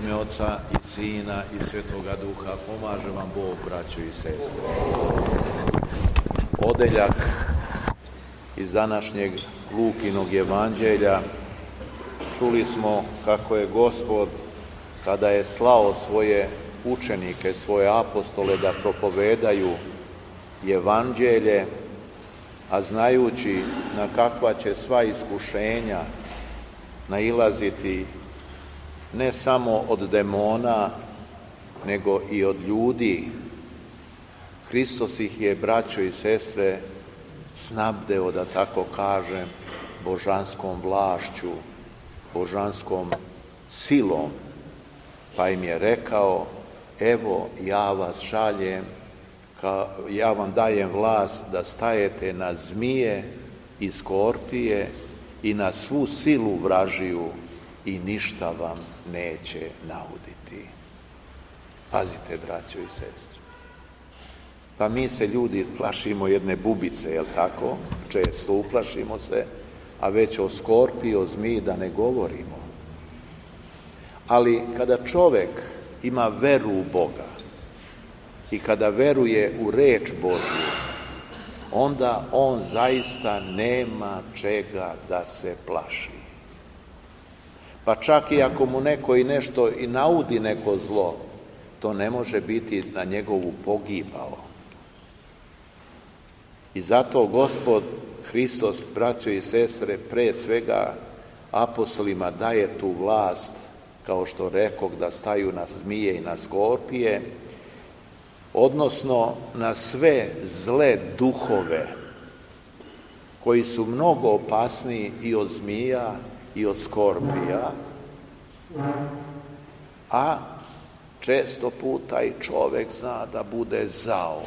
ime Oca i Sina i Svetoga Duha, pomaže vam Bog, braćo i sestre. Odeljak iz današnjeg Lukinog evanđelja. Čuli smo kako je Gospod, kada je slao svoje učenike, svoje apostole da propovedaju evanđelje, a znajući na kakva će sva iskušenja nailaziti ne samo od demona, nego i od ljudi, Hristos ih je, braćo i sestre, snabdeo, da tako kažem, božanskom vlašću, božanskom silom, pa im je rekao: evo, ja vas šaljem, ja vam dajem vlast da stajete na zmije i skorpije i na svu silu vražiju i ništa vam neće nauditi. Pazite, braćo i sestre. Pa mi se, ljudi, plašimo jedne bubice, jel tako? Često uplašimo se, a već o skorpiji, o zmiji da ne govorimo. Ali kada čovjek ima veru u Boga i kada veruje u reč Božju, onda on zaista nema čega da se plaši. Pa čak i ako mu neko i nešto i naudi neko zlo, to ne može biti na njegovu pogibao. I zato Gospod Hristos, braćo i sestre, pre svega apostolima daje tu vlast, kao što rekoh, da staju na zmije i na skorpije, odnosno na sve zle duhove koji su mnogo opasniji i od zmija i od skorpija, a često puta i čovjek zna da bude zao.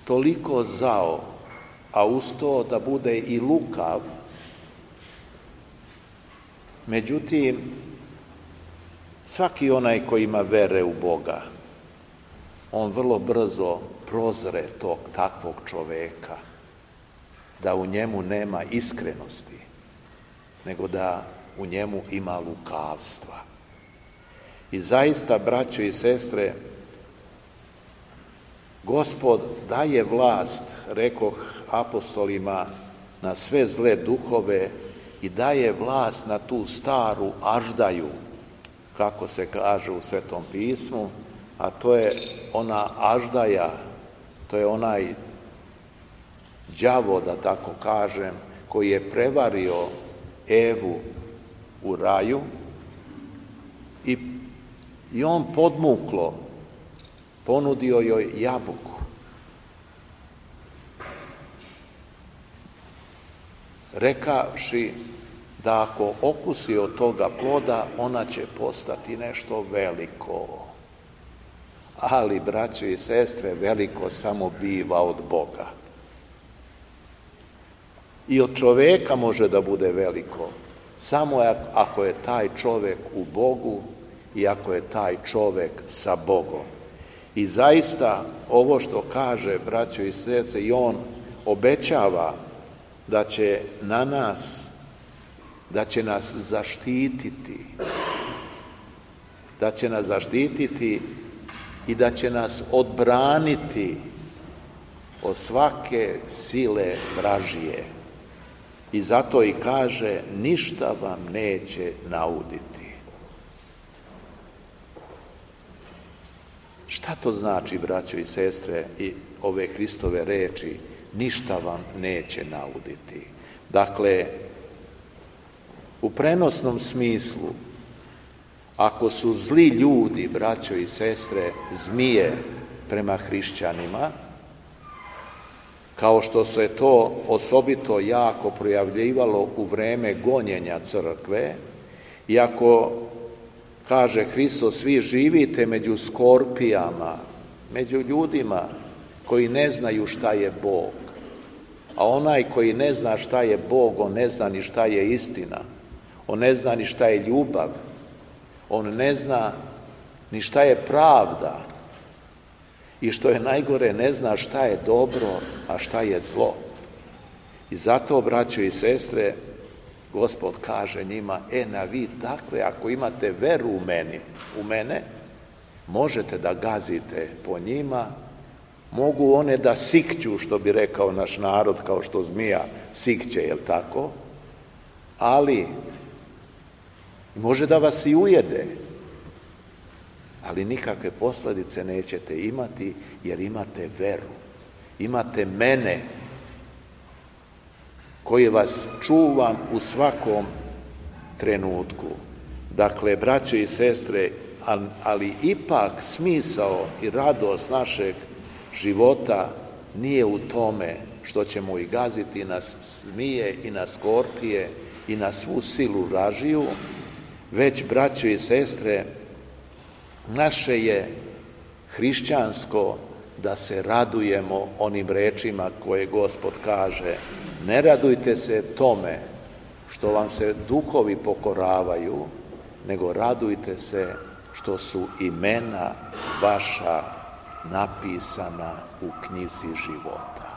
Toliko zao, a uz to da bude i lukav. Međutim, svaki onaj koji ima vere u Boga, on vrlo brzo prozre tog takvog čoveka, da u njemu nema iskrenosti, nego da u njemu ima lukavstva. I zaista, braćo i sestre, Gospod daje vlast, rekoh, apostolima na sve zle duhove i daje vlast na tu staru aždaju, kako se kaže u Svetom pismu, a to je ona aždaja, to je onaj đavo, da tako kažem, koji je prevario Evu u raju i on podmuklo ponudio joj jabuku. Rekavši da ako okusi od toga ploda, ona će postati nešto veliko. Ali, braćo i sestre, veliko samo biva od Boga. I od čoveka može da bude veliko, samo ako je taj čovek u Bogu i ako je taj čovek sa Bogom. I zaista, ovo što kaže, braćo i sestre, i on obećava da će na nas, da će nas zaštititi, da će nas zaštititi i da će nas odbraniti od svake sile vražije. I zato i kaže: ništa vam neće nauditi. Šta to znači, braćo i sestre, i ove Hristove reči: ništa vam neće nauditi? Dakle, u prenosnom smislu, ako su zli ljudi, braćo i sestre, zmije prema hrišćanima, kao što se to osobito jako projavljivalo u vreme gonjenja crkve, i ako, kaže Hristos, vi živite među skorpijama, među ljudima koji ne znaju šta je Bog, a onaj koji ne zna šta je Bog, on ne zna ni šta je istina, on ne zna ni šta je ljubav, on ne zna ni šta je pravda, i što je najgore, ne zna šta je dobro, a šta je zlo. I zato, braćo i sestre, Gospod kaže njima, na vi takve, ako imate veru u mene, možete da gazite po njima, mogu one da sikću, što bi rekao naš narod, kao što zmija sikće, jel tako? Ali može da vas i ujede, ali nikakve posljedice nećete imati, jer imate veru. Imate mene, koji vas čuvam u svakom trenutku. Dakle, braćo i sestre, ali ipak smisao i radost našeg života nije u tome što ćemo i gaziti na zmije i na skorpije i na svu silu vražiju, već, braćo i sestre, naše je hrišćansko da se radujemo onim rečima koje Gospod kaže. Ne radujte se tome što vam se duhovi pokoravaju, nego radujte se što su imena vaša napisana u knjizi života.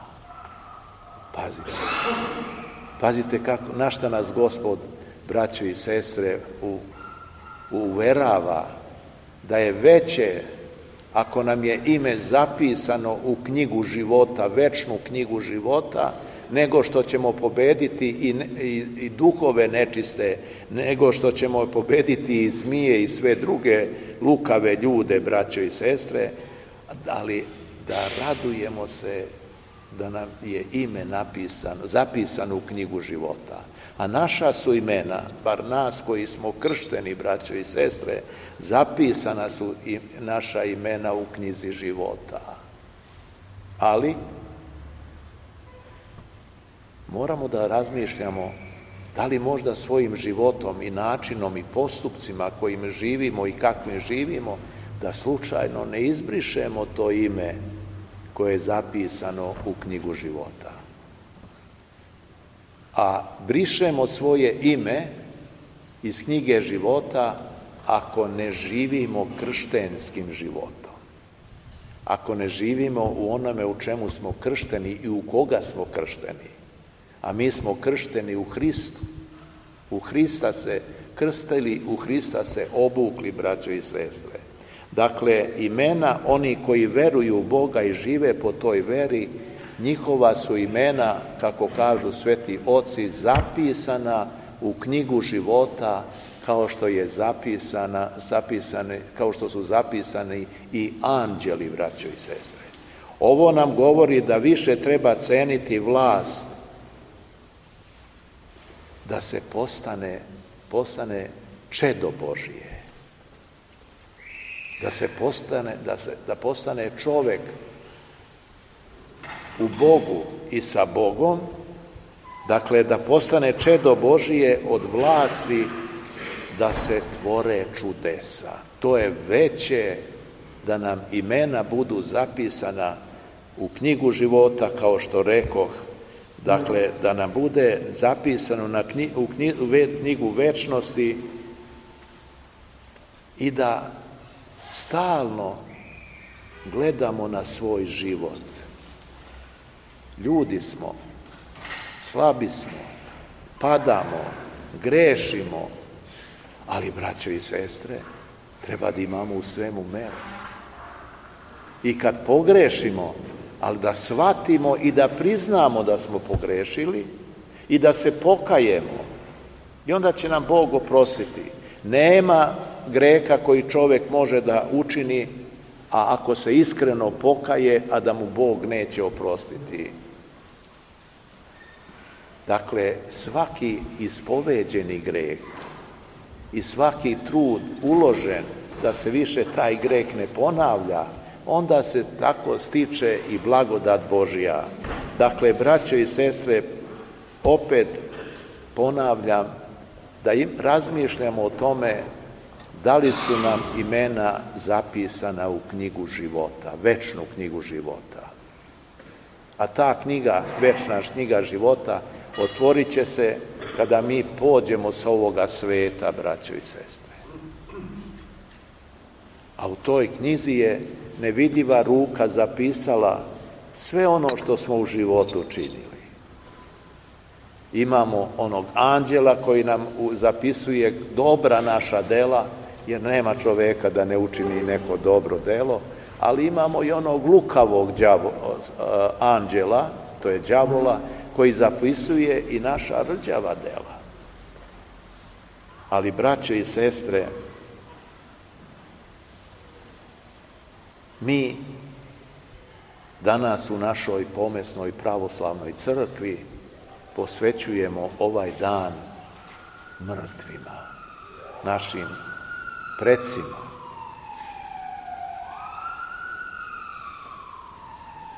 Pazite na šta nas Gospod, braćo i sestre, uverava, da je veće ako nam je ime zapisano u knjigu života, večnu knjigu života, nego što ćemo pobediti i duhove nečiste, nego što ćemo pobediti i zmije i sve druge lukave ljude, braćo i sestre, ali da radujemo se da nam je ime zapisano u knjigu života. A naša su imena, bar nas koji smo kršteni, braćo i sestre, zapisana su i naša imena u knjizi života. Ali moramo da razmišljamo da li možda svojim životom i načinom i postupcima kojim živimo i kakvim živimo, da slučajno ne izbrišemo to ime koje je zapisano u knjigu života. A brišemo svoje ime iz knjige života ako ne živimo krštenskim životom. Ako ne živimo u onome u čemu smo kršteni i u koga smo kršteni. A mi smo kršteni u Hristu. U Hrista se krstili, u Hrista se obukli, braćo i sestre. Dakle, imena oni koji veruju u Boga i žive po toj veri, njihova su imena, kako kažu sveti oci, zapisana u knjigu života, kao što su zapisani i anđeli, braćo i sestre. Ovo nam govori da više treba ceniti vlast, da se postane čedo Božije. Da postane čovjek u Bogu i sa Bogom, dakle da postane čedo Božije od vlasti da se tvore čudesa. To je veće da nam imena budu zapisana u knjigu života, kao što rekoh, dakle da nam bude zapisano u knjigu večnosti i da stalno gledamo na svoj život. Ljudi smo, slabi smo, padamo, grešimo, ali, braćo i sestre, treba da imamo u svemu meru. I kad pogrešimo, ali da shvatimo i da priznamo da smo pogrešili i da se pokajemo, i onda će nam Bog oprostiti. Nema greha koji čovjek može da učini, a ako se iskreno pokaje, a da mu Bog neće oprostiti. Dakle, svaki ispoveđeni greh i svaki trud uložen da se više taj greh ne ponavlja, onda se tako stiče i blagodat Božja. Dakle, braćo i sestre, opet ponavljam da razmišljamo o tome da li su nam imena zapisana u knjigu života, večnu knjigu života. A ta knjiga, večna knjiga života, otvorit će se kada mi pođemo sa ovoga sveta, braćo i sestre. A u toj knjizi je nevidljiva ruka zapisala sve ono što smo u životu činili. Imamo onog anđela koji nam zapisuje dobra naša dela, jer nema čoveka da ne učini neko dobro delo, ali imamo i onog lukavog anđela, to je đavola, koji zapisuje i naša rđava dela. Ali, braćo i sestre, mi danas u našoj pomesnoj pravoslavnoj crkvi posvećujemo ovaj dan mrtvima, našim precima.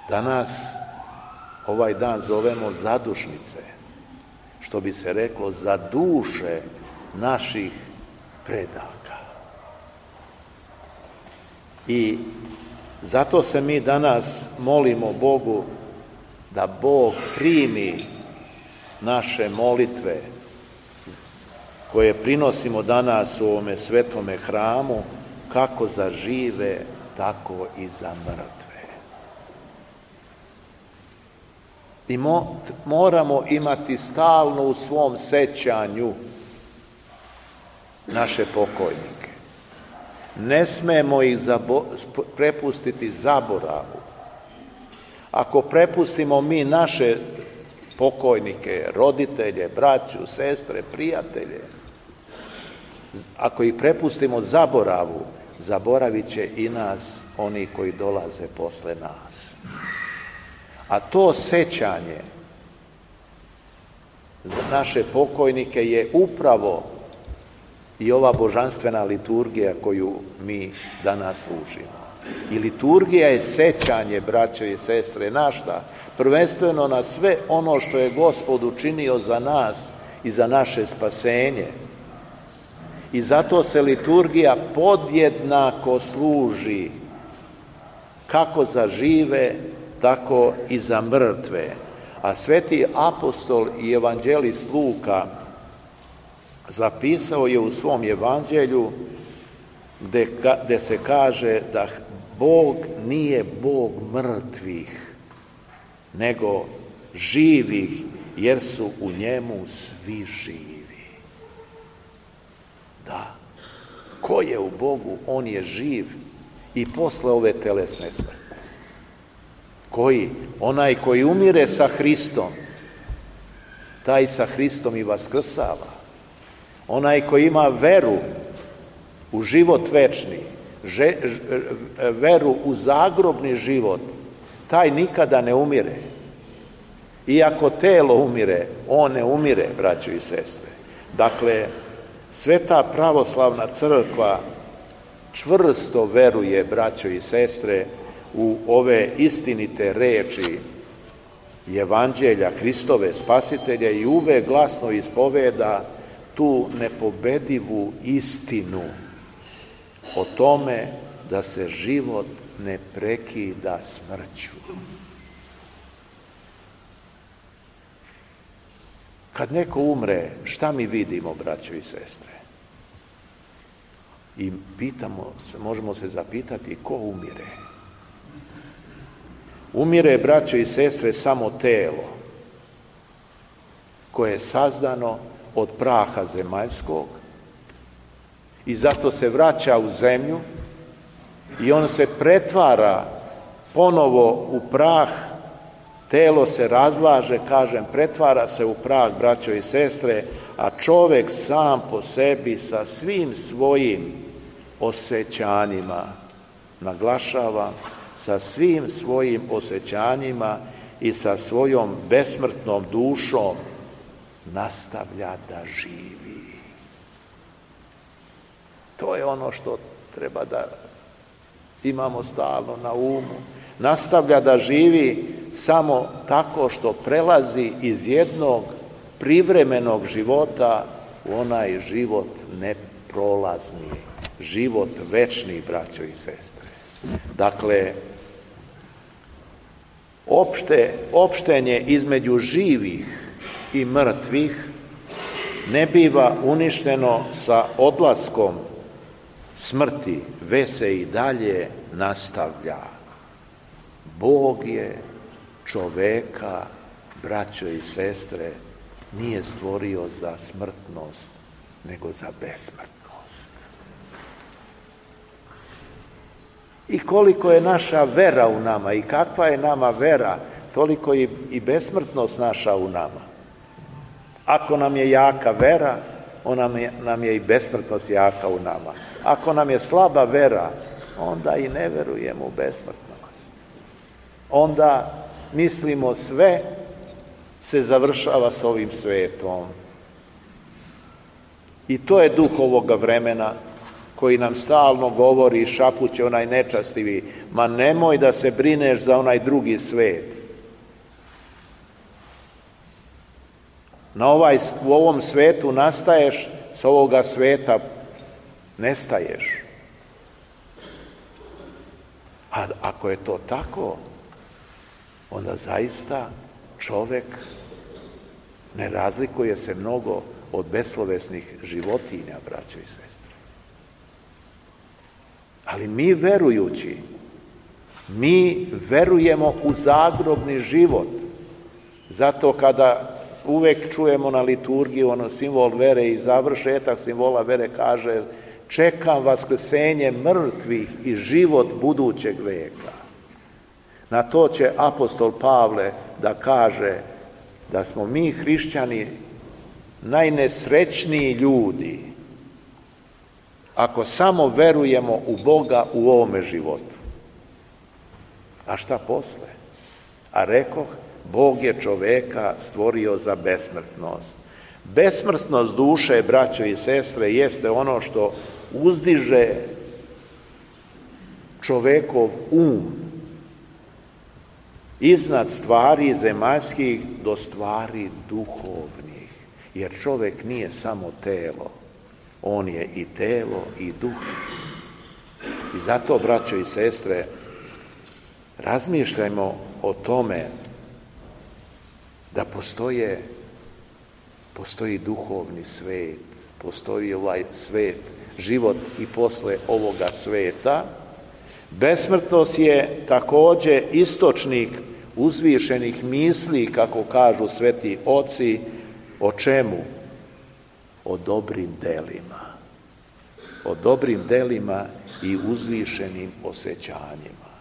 Danas ovaj dan zovemo zadušnice, što bi se reklo za duše naših predaka. I zato se mi danas molimo Bogu da Bog primi naše molitve koje prinosimo danas u ovome svetome hramu, kako za žive, tako i za mrtve. I moramo imati stalno u svom sećanju naše pokojnike. Ne smemo ih prepustiti zaboravu. Ako prepustimo mi naše pokojnike, roditelje, braću, sestre, prijatelje, ako ih prepustimo zaboravu, zaboravit će i nas oni koji dolaze posle nas. A to sećanje za naše pokojnike je upravo i ova božanstvena liturgija koju mi danas služimo. I liturgija je sećanje, braćo i sestre, na šta? Prvenstveno na sve ono što je Gospod učinio za nas i za naše spasenje. I zato se liturgija podjednako služi kako za žive, tako i za mrtve. A sveti apostol i evanđelist Luka zapisao je u svom evanđelju gde se kaže da Bog nije Bog mrtvih, nego živih, jer su u njemu svi živi. Da, ko je u Bogu, on je živ i posle ove telesne smrti. Koji? Onaj koji umire sa Hristom, taj sa Hristom i vaskrsava. Onaj koji ima veru u život večni, veru u zagrobni život, taj nikada ne umire. Iako telo umire, on ne umire, braćo i sestre. Dakle, Sveta pravoslavna crkva čvrsto veruje, braćo i sestre, u ove istinite reči Evanđelja Hristove Spasitelja i uvek glasno ispoveda tu nepobedivu istinu o tome da se život ne prekida smrću. Kad neko umre, šta mi vidimo, braćo i sestre? I možemo se zapitati ko umire. Umire, braćo i sestre, samo telo koje je sazdano od praha zemaljskog i zato se vraća u zemlju i on se pretvara ponovo u prah, telo se razlaže, pretvara se u prah, braćo i sestre, a čovek sam po sebi sa svim svojim osjećanjima, naglašavam, sa svim svojim osjećanjima i sa svojom besmrtnom dušom nastavlja da živi. To je ono što treba da imamo stalno na umu. Nastavlja da živi samo tako što prelazi iz jednog privremenog života u onaj život neprolazni, život večni, braćo i sestre. Dakle, opštenje između živih i mrtvih ne biva uništeno sa odlaskom smrti, već se i dalje nastavlja. Bog je čoveka, braćo i sestre, nije stvorio za smrtnost, nego za besmrtnost. I koliko je naša vera u nama i kakva je nama vera, toliko i besmrtnost naša u nama. Ako nam je jaka vera, nam je i besmrtnost jaka u nama. Ako nam je slaba vera, onda i ne verujemo u besmrtnost. Onda mislimo sve se završava s ovim svetom. I to je duh ovoga vremena koji nam stalno govori i šapuće onaj nečastivi, ma nemoj da se brineš za onaj drugi svet. U ovom svetu nastaješ, s ovoga sveta nestaješ. A ako je to tako, onda zaista čovek ne razlikuje se mnogo od beslovesnih životinja, braćo i sestre. Ali mi verujući, mi verujemo u zagrobni život. Zato kada uvek čujemo na liturgiju simbol vere i završetak simbola vere kaže čekam vaskrsenje mrtvih i život budućeg veka. Na to će apostol Pavle da kaže da smo mi hrišćani najnesrećniji ljudi ako samo verujemo u Boga u ovome životu. A šta posle? A rekoh, Bog je čoveka stvorio za besmrtnost. Besmrtnost duše, braćo i sestre, jeste ono što uzdiže čovekov iznad stvari zemaljskih do stvari duhovnih. Jer čovek nije samo telo, on je i telo i duh. I zato, braćo i sestre, razmišljajmo o tome da postoji duhovni svet, postoji ovaj svet, život i posle ovoga sveta. Besmrtnost je takođe istočnik uzvišenih misli, kako kažu sveti oci, o čemu? O dobrim delima. O dobrim delima i uzvišenim osjećanjima.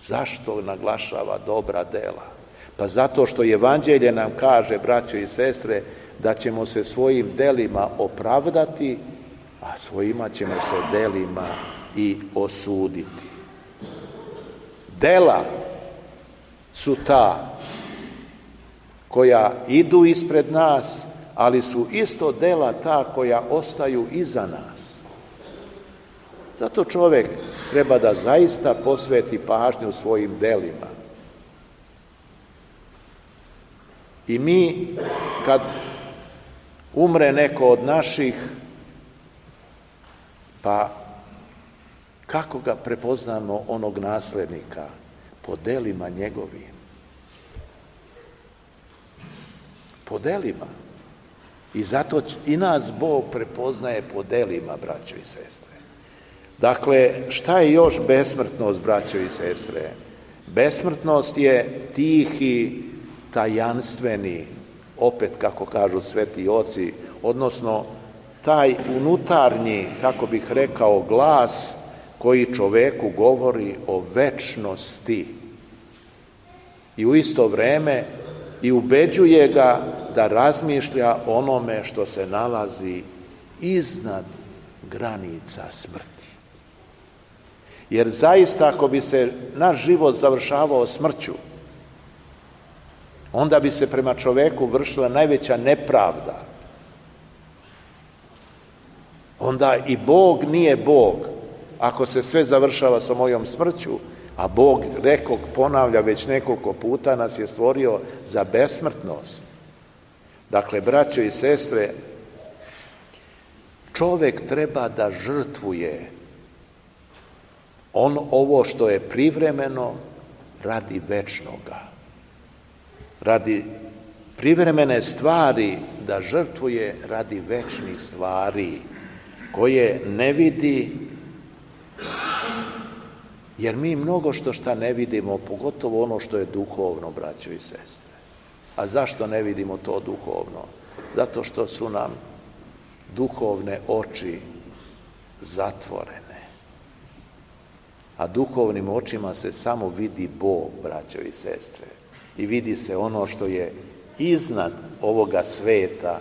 Zašto naglašava dobra dela? Pa zato što Evanđelje nam kaže, braćo i sestre, da ćemo se svojim delima opravdati, a svojima ćemo se delima i osuditi. Dela su ta koja idu ispred nas, ali su isto dela ta koja ostaju iza nas. Zato čovjek treba da zaista posveti pažnju svojim delima. I mi, kad umre neko od naših, pa kako ga prepoznamo onog naslednika? Po delima njegovim. Po delima. I zato i nas Bog prepoznaje po delima, braćo i sestre. Dakle, šta je još besmrtnost, braćo i sestre? Besmrtnost je tihi, tajanstveni, opet kako kažu sveti oci, odnosno taj unutarnji, kako bih rekao, glas koji čoveku govori o večnosti i u isto vreme i ubeđuje ga da razmišlja o onome što se nalazi iznad granica smrti. Jer zaista ako bi se naš život završavao smrću, onda bi se prema čoveku vršila najveća nepravda. Onda i Bog nije Bog ako se sve završava sa mojom smrću, a Bog, rekog, ponavlja već nekoliko puta, nas je stvorio za besmrtnost. Dakle, braćo i sestre, čovek treba da žrtvuje ovo što je privremeno radi večnoga. Radi privremene stvari da žrtvuje radi večnih stvari koje ne vidi, jer mi mnogo šta ne vidimo, pogotovo ono što je duhovno, braćo i sestre. A zašto ne vidimo to duhovno? Zato što su nam duhovne oči zatvorene. A duhovnim očima se samo vidi Bog, braćo i sestre. I vidi se ono što je iznad ovoga sveta,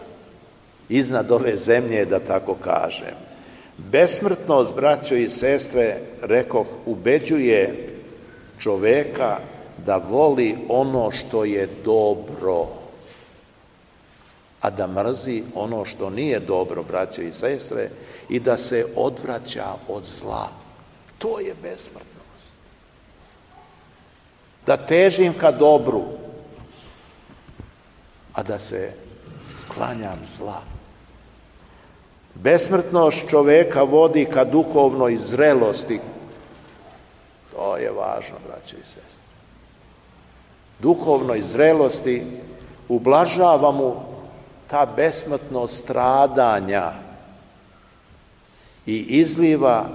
iznad ove zemlje, da tako kažem. Besmrtnost, braćo i sestre, rekoh, ubeđuje čoveka da voli ono što je dobro, a da mrzi ono što nije dobro, braćo i sestre, i da se odvraća od zla. To je besmrtnost. Da težim ka dobru, a da se klanjam zla. Besmrtnost čoveka vodi ka duhovnoj zrelosti. To je važno, braćo i sestre. Duhovnoj zrelosti ublažava mu ta besmrtnost stradanja i izliva,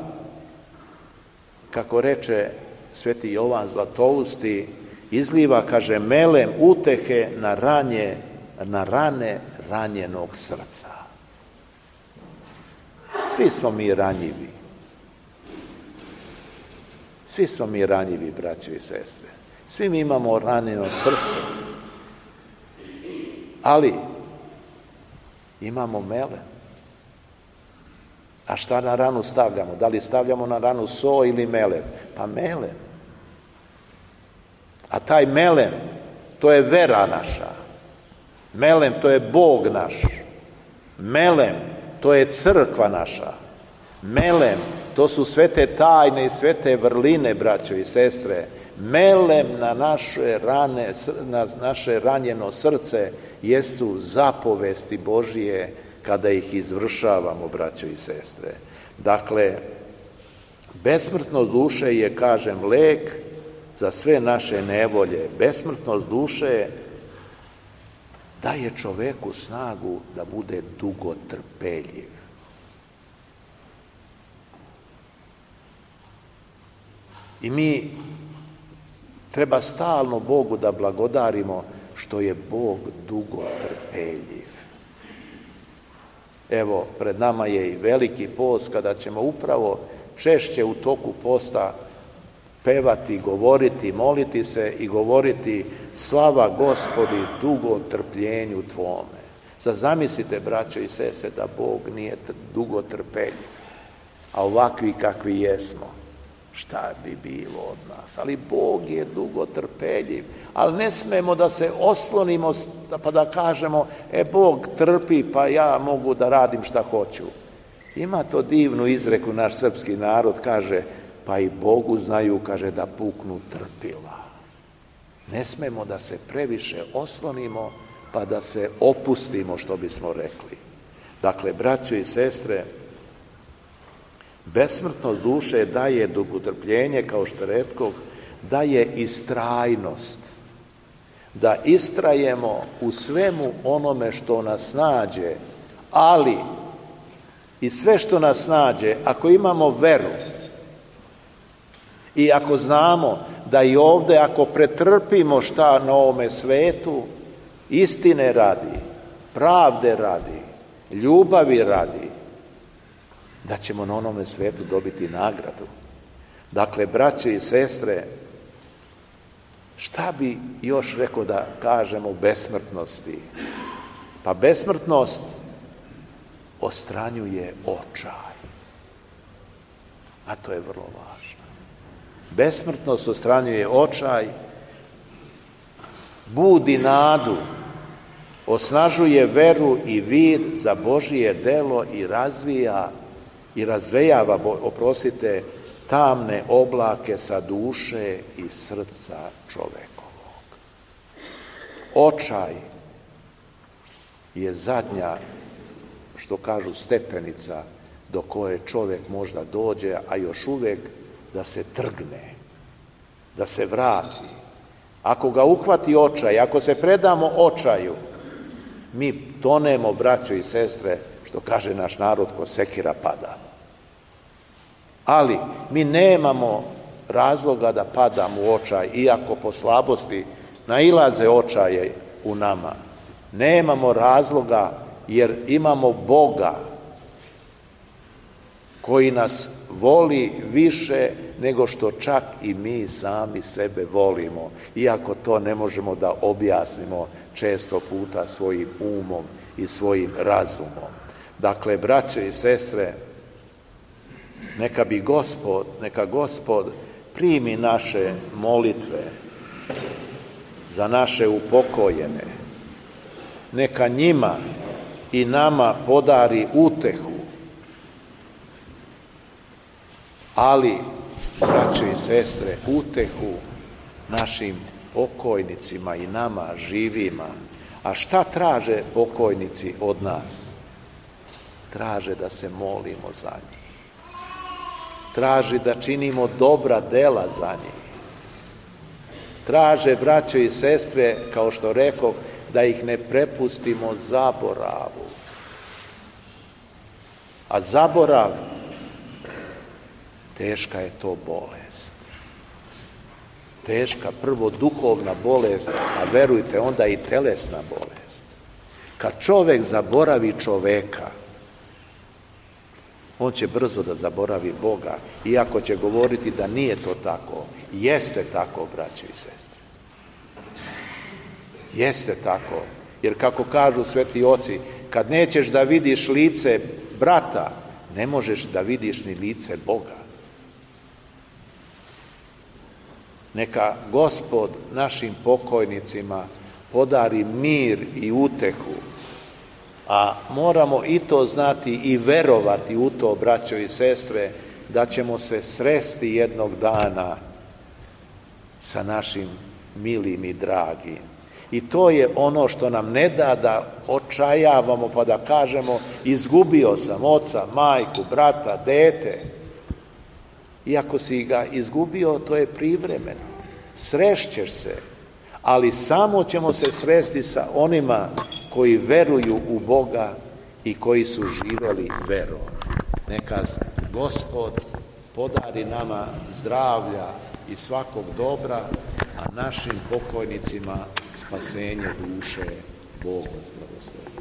kako reče sveti Jovan Zlatousti, izliva, kaže, melem utehe na rane ranjenog srca. Svi smo mi ranjivi. Svi smo mi ranjivi, braćo i sestre. Svi mi imamo ranjeno srce. Ali imamo melem. A šta na ranu stavljamo? Da li stavljamo na ranu so ili melem? Pa melem. A taj melem, to je vera naša. Melem, to je Bog naš. Melem, to je crkva naša. Melem, to su svete tajne i svete vrline, braćo i sestre. Melem na naše ranjeno srce jesu zapovesti Božije kada ih izvršavamo, braćo i sestre. Dakle, besmrtnost duše je, kažem, lek za sve naše nevolje. Besmrtnost duše daje čoveku snagu da bude dugotrpeljiv. I mi treba stalno Bogu da blagodarimo što je Bog dugotrpeljiv. Evo, pred nama je i veliki post kada ćemo upravo češće u toku posta pevati, govoriti, moliti se i govoriti slava Gospodi dugotrpljenju Tvome. Sad zamislite, braćo i sestre, da Bog nije dugotrpeljiv, a ovakvi kakvi jesmo. Šta bi bilo od nas? Ali Bog je dugotrpeljiv. Ali ne smemo da se oslonimo pa da kažemo, Bog trpi pa ja mogu da radim šta hoću. Ima to divnu izreku naš srpski narod, kaže, pa i Bogu znaju, kaže, da puknu trpila. Ne smemo da se previše oslonimo pa da se opustimo, što bismo rekli. Dakle, braćo i sestre, besmrtnost duše daje dugotrpljenje, kao što rekoh, daje istrajnost. Da istrajemo u svemu onome što nas nađe, ali i sve što nas nađe, ako imamo veru i ako znamo da i ovde, ako pretrpimo šta na ovome svetu, istine radi, pravde radi, ljubavi radi, da ćemo na onome svetu dobiti nagradu. Dakle, braćo i sestre, šta bi još rekao da kažemo o besmrtnosti? Pa besmrtnost ostranjuje očaj. A to je vrlo važno. Besmrtnost ostranjuje očaj, budi nadu, osnažuje veru i vid za Božije delo i razvejava, tamne oblake sa duše i srca čovekovog. Očaj je zadnja, što kažu, stepenica do koje čovjek možda dođe, a još uvijek da se trgne, da se vrati. Ako ga uhvati očaj, ako se predamo očaju, mi tonemo, braćo i sestre, što kaže naš narod, ko sekira padamo. Ali mi nemamo razloga da padamo u očaj, iako po slabosti nailaze očaje u nama. Nemamo razloga jer imamo Boga koji nas voli više nego što čak i mi sami sebe volimo, iako to ne možemo da objasnimo često puta svojim umom i svojim razumom. Dakle, braćo i sestre, neka Gospod primi naše molitve za naše upokojene, neka njima i nama podari utehu, ali, braćo i sestre, utehu našim pokojnicima i nama živima. A šta traže pokojnici od nas? Traže da se molimo za njih. Traže da činimo dobra dela za njih. Traže, braćo i sestre, kao što rekoh, da ih ne prepustimo zaboravu. A zaborav, teška je to bolest. Teška, prvo duhovna bolest, a verujte, onda i telesna bolest. Kad čovek zaboravi čoveka, on će brzo da zaboravi Boga, iako će govoriti da nije to tako. Jeste tako, braćo i sestre. Jeste tako, jer kako kažu sveti oci, kad nećeš da vidiš lice brata, ne možeš da vidiš ni lice Boga. Neka Gospod našim pokojnicima podari mir i utehu, a moramo i to znati i verovati u to, braćo i sestre, da ćemo se sresti jednog dana sa našim milim i dragim. I to je ono što nam ne da da očajavamo pa da kažemo izgubio sam oca, majku, brata, dete. Iako si ga izgubio, to je privremeno. Srešćeš se, ali samo ćemo se sresti sa onima koji veruju u Boga i koji su živeli verom. Neka Gospod podari nama zdravlja i svakog dobra, a našim pokojnicima spasenje duše. Bog vas blagoslovi.